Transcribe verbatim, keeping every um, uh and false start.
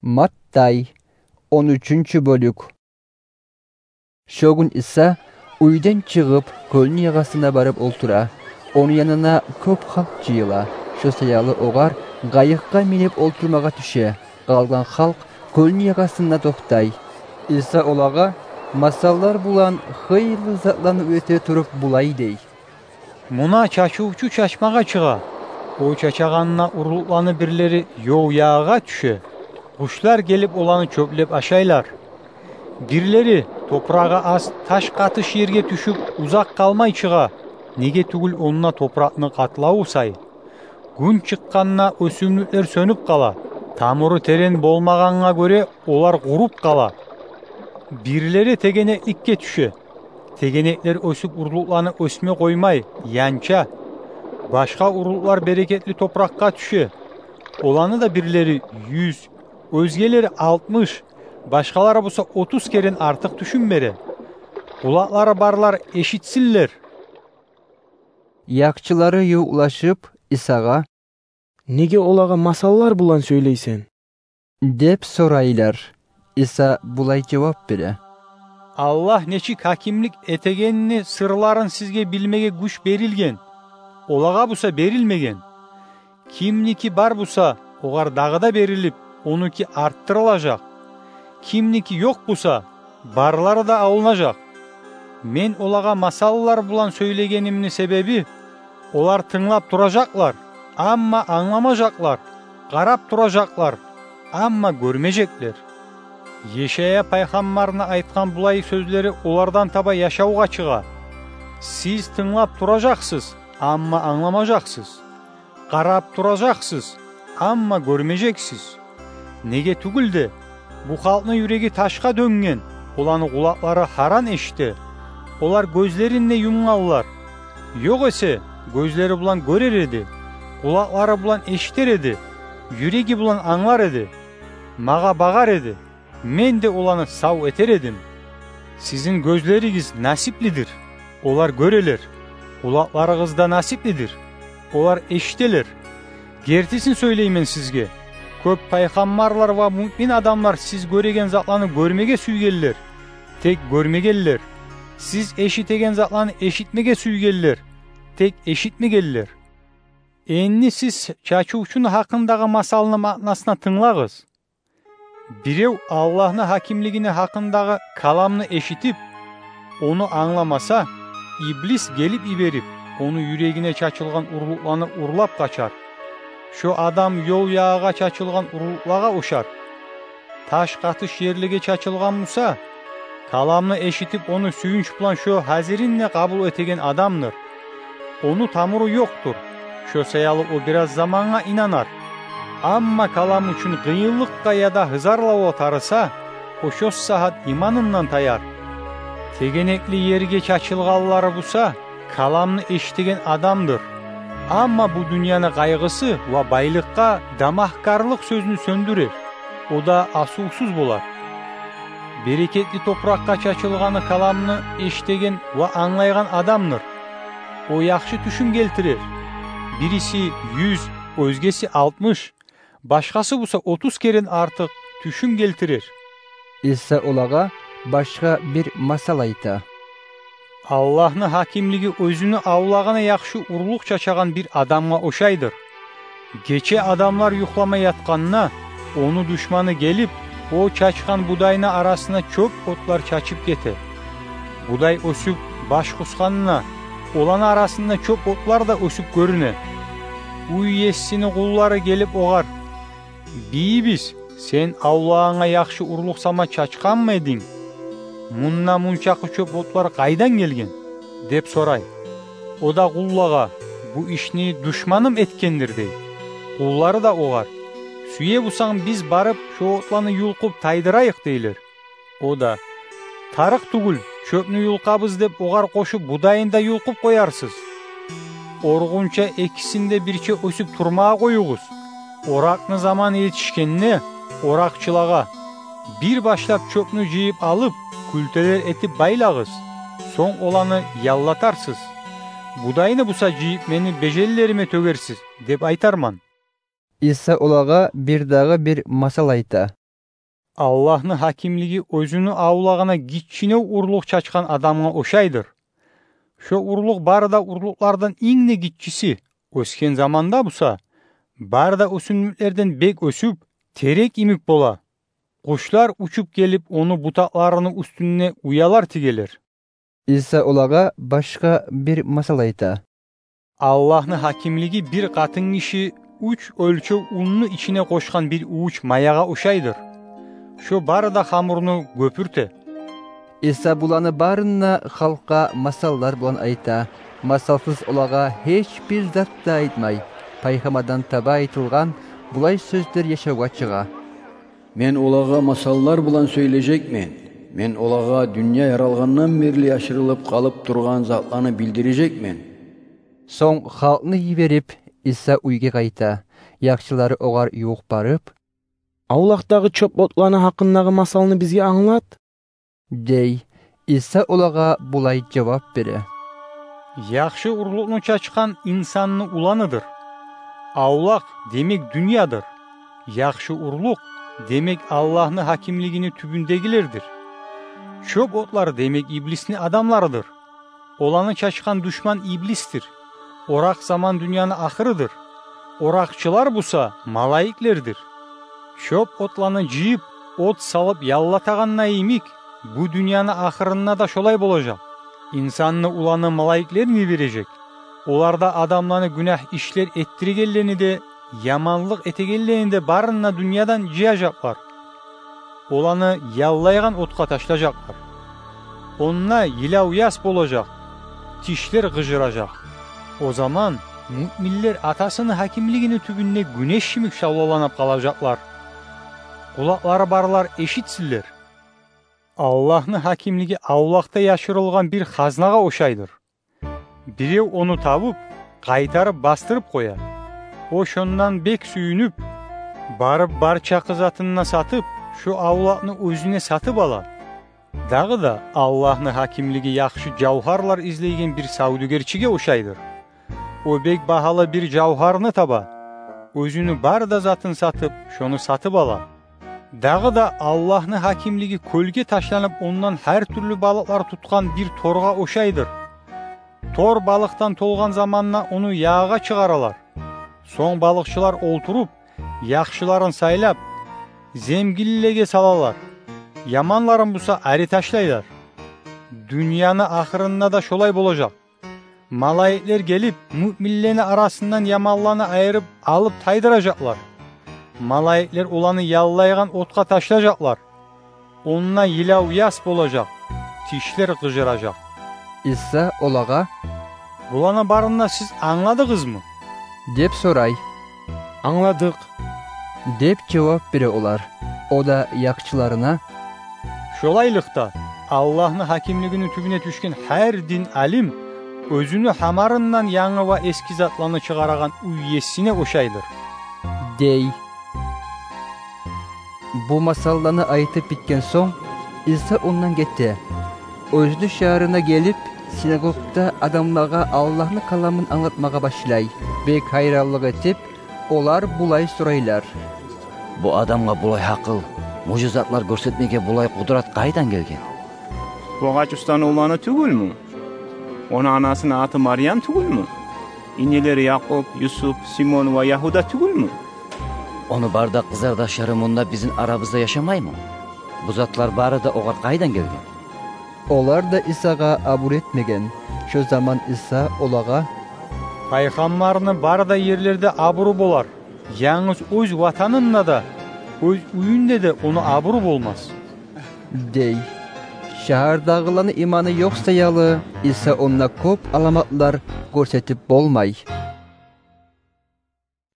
Маттай, он уьчюнчю бёлюк. Шо гюн Иса уьйден чыгъып, кёлню ягъасына барып олтура. Ону янына кёп халкъ жыйыла. Шо саялы огъар къайыкъгъа минип олтурмагъа тюше. Къалгъан халкъ кёлню ягъасында токътай. Иса олагъа масаллар булан хыйлы затланы уьйрете туруп, булай дей: «Муна чачывчу чачмагъа чыгъа. О чачагъанда, урлукъланы бирлери ёл ягъагъа тюше. Къушлар гелип, оланы чёплеп ашайлар. Бирлери топурагъы аз, таш къатыш ерге тюшюп, узакъ къалмай чыгъа, неге тюгюл онда топуракъны къатлаву сай. Гюн чыкъгъанда, оьсюмлюклер сёнюп къала, тамуру терен болмагъангъа гёре, олар къуруп къала. Бирлери тегенекликге тюше. Тегенеклер оьсюп, урлукъланы оьсме къоймай, янча. Башгъа урлукълар берекетли топуракъгъа тюше. Оланы да бирлери юз, оьзгелери алтмыш, башгъалары буса отуз керен артыкъ тюшюн бере. Къулакълары барлар эшитсинлер». Якъчылары ювукълашып, Исагъа: «Неге олагъа масаллар булан сёйлейсен?» – деп сорайлар. Иса булай жавап бере: «Аллагь нечик гьакимлик этегенни сырларын сизге билмеге гюч берилген, олагъа буса берилмеген. Кимники бар буса, огъар дагъы да берилип, онуки артдырылажакъ. Кимники ёкъ буса, барлары да алынажакъ. Мен олагъа масаллар булан сёйлегенимни себеби: олар тынглап туражакълар, амма англамажакълар, къарап туражакълар, амма гёрмежеклер. Ешая пайхаммарны айтгъан булай сёзлери олардан таба яшавгъа чыгъа: сиз тынглап туражакъсыз, амма англамажакъсыз. Къарап туражакъсыз, амма гёрмежексиз. Неге тюгюл де, бу халкъны юреги ташгъа дёнген, оланы къулакълары гьаран эшите, олар гёзлерин де юмгъанлар. Ёкъ эсе, гёзлери булан гёрер эди, къулакълары булан эшитер эди, юреги булан англар эди, магъа багъар эди, мен де оланы сав этер эдим. Сизин гёзлеригиз насиплидир, олар гёрелер, къулакъларыгъыз да насиплидир, олар эшителер. Гертисин сёйлеймен сизге: кёп пайхаммарлар ва муъмин адамлар сиз гёреген затланы гёрмеге сюйгенлер, тек гёрмегенлер. Сиз эшитеген затланы эшитмеге сюйгенлер, тек эшитмегенлер. Энни сиз чачывчуну гьакъындагъы масалны маънасына тынглагъыз. Бирев Аллагьны гьакимлигини гьакъындагъы каламны эшитип, ону англамаса, иблис гелип йиберип, ону юрегине чачылгъан урлукъланы урлап къачар. Шо адам ёл ягъагъа чачылгъан урлукълагъа ошар. Таш къатыш ерлеге чачылгъан буса, каламны эшитип, ону сююнч булан шо гьазирин де къабул этеген адамдыр. Ону тамуру ёкъдур, шо саялы о бираз замангъа инанар. Амма калам учун къыйынлыкъгъа яда гьызарлавгъа тарыса, о шо сагьат иманындан таяр. Тегенекли ерге чачылгъанлары буса, каламны эшитеген адамдыр. Амма бу дюньяны къайгъысы ва байлыкъгъа дамахгарлыкъ сёзню сёндюрер, о да асувсуз болар. Берекетли топуракъгъа чачылгъаны каламны эшитеген ва англайгъан адамдыр. О яхшы тюшюн гелтирер. Бириси юз, оьзгеси алтмыш, башгъасы буса отуз керен артыкъ тюшюн гелтирер. Иса олагъа башгъа бир масал айта. Аллагьны гьакимлиги оьзюню авлагъына яхшы урлукъ чачагъан бир адамгъа ошайдыр. Гече адамлар юхлама ятгъанда, ону душманы гелип, о чачгъан будайны арасына чёп отлар чачып гете. Будай оьсюп баш къусгъанда, оланы арасында чёп отлар да оьсюп гёрюне. Уьй есини къуллары гелип огъар: «Бийибиз, сен авлагъынга яхшы урлукъ сама чачгъанмы эдинг? Мунда мунчакъы чёп отлар къайдан гелген?» – деп сорай. О да къуллагъа: «Бу ишни душманым этгендир», – дей. Къуллары да огъар: «Сюе бусанг, биз барып, шо отланы юлкъуп тайдырайыкъ», – дейлер. О да: «Тарыкъ тюгюл, чёпню юлкъабыз», – деп огъар къошуп, будайын да юлкъуп къоярсыз. Оргъунча экисин де бирче оьсюп турмагъа къоюгъуз. Оракъны заманы етишгенде, оракъчылагъа: «Бир башлап чёпню жыйып алып, кюлтелер этип байлагъыз, сонг оланы яллатарсыз. Будайны буса жыйып, мени беженлериме тёгерсиз», – деп айтарман. Иса олагъа бир дагъы бир масал айта. Аллагьны гьакимлиги оьзюню авлагъына гиччинев урлукъ чачгъан адамгъа ошайдыр. Шо урлукъ бары да урлукълардан инг де гиччиси. Оьсген заманда буса, бары да оьсюмлюклерден бек оьсюп, терек йимик бола. Къушлар учуп гелип, ону бутакъларыны уьстюнде уялар тигелер. Иса олагъа башгъа бир масал айта. Аллагьны гьакимлиги бир къатынгиши уьч оьлчев унну ичине къошгъан бир увуч маягъа ошайдыр. Шо бары да хамурну гёпюрте. Иса буланы барын да халкъгъа масаллар булан айта. Масалсыз олагъа гьеч бир зат да айтмай. Пайхаммардан таба айтылгъан булай сёзлер яшавгъа чыгъа. Мен олагъа масаллар булан сёйлежекмен. Мен олагъа дюнья яралгъандан берли яшырылып къалып тургъан затланы билдирежекмен. Сонг халкъны йиберип, Иса уьйге къайта. Яхшылары огъар ювукъ барып: «Авлакъдагъы чёп отланы гьакъындагъы масалны бизге англат», — дей. Иса олагъа булай жавап бере: «Яхшы урлукъну чачгъан инсанны уланыдыр. Авлакъ, демек, дюньядыр. Яхшы урлукъ, демек, Аллагьны гьакимлигини тюбюндегилердир. Чёп отлар, демек, иблисни адамларыдыр. Оланы чачгъан душман иблисдир. Оракъ заман дюньяны ахырыдыр. Оракъчылар буса малайиклердир. Чёп отланы жыйып, от салып яллатагъанда йимик, бу дюньяны ахырында да шолай болажакъ. Инсанны уланы малайиклерин йибережек. Олар да адамланы гюнагь ишлер эттиргенлени де, яманлыкъ этегенлени де барын да дюньядан жыяжакълар. Оланы яллайгъан отгъа ташлажакълар. Онда йылав-яс болажакъ, тишлер къыжыражакъ. О заман муъминлер Атасыны гьакимлигини тюбюнде гюнеш йимик шавлаланып къалажакълар. Къулакълары барлар эшитсинлер. Аллагьны гьакимлиги авлакъда яшырылгъан бир хазнагъа ошайдыр. Бирев ону табып, къайтарып бастырып къоя. О шондан бек сююнюп, барып бар чакъы затын да сатып, шо авлакъны оьзюне сатып ала. Дагъы да Аллагьны гьакимлиги яхшы жавгьарлар излейген бир савдюгерчиге ошайдыр. О бек багьалы бир жавгьарны таба, оьзюню бары да затын сатып, шону сатып ала. Дагъы да Аллагьны гьакимлиги кёлге ташланып, ондан гьар тюрлю балыкълар тутгъан бир торгъа ошайдыр. Тор балыкъдан толгъан заманда ону ягъагъа чыгъаралар. Сонг балыкъчылар олтуруп, яхшыларын сайлап, земгинлеге салалар, яманларын буса ари ташлайлар. Дюньяны ахырында да шолай болажакъ. Малайиклер гелип, муъминлени арасындан яманланы айырып алып тайдыражакълар. Малайиклер оланы яллайгъан отгъа ташлажакълар. Онда йылав-яс болажакъ, тишлер къыжыражакъ». Иса олагъа: «Буланы барын да сиз англадыгъызмы?» — деп сорай. «Англадыкъ», — деп жавап бере олар. О да яхшыларына: «Шолайлыкъда, Аллагьны гьакимлигини тюбюне тюшген гьар дин алим оьзюню гьамарындан янгы ва эски затланы чыгъарагъан уьй есине ошайдыр», — дей. Бу масалланы айтып битген сонг, Иса ондан гете. Оьзюню шагьарына гелип, синагогда адамлагъа Аллагьны каламын англатмагъа башлай. Бек гьайранлыкъ этип, олар булай сорайлар: «Бу адамгъа булай гьакъыл, мужизатлар гёрсетмеге булай къудрат къайдан гелген? Бу Агъач устаны уланы тюгюлмю? Ону анасыны аты Марьям тюгюлмю? Инилери Якъуб, Юсуп, Симон ва Ягьуда тюгюлмю? Ону бары да къызардашлары мунда бизин арабызда яшамаймы? Бу затлар бары да огъар къайдан гелген?» Олар да Исагъа абур этмеген. Шо заман Иса олагъа: «Пайхаммарны бары да ерлерде абуру болар, янгыз оьз ватанында да, оьз уьюнде де ону абуру болмас», — дей. Шагьардагъыланы иманы ёкъ саялы, Иса онда кёп аламатлар гёрсетип болмай.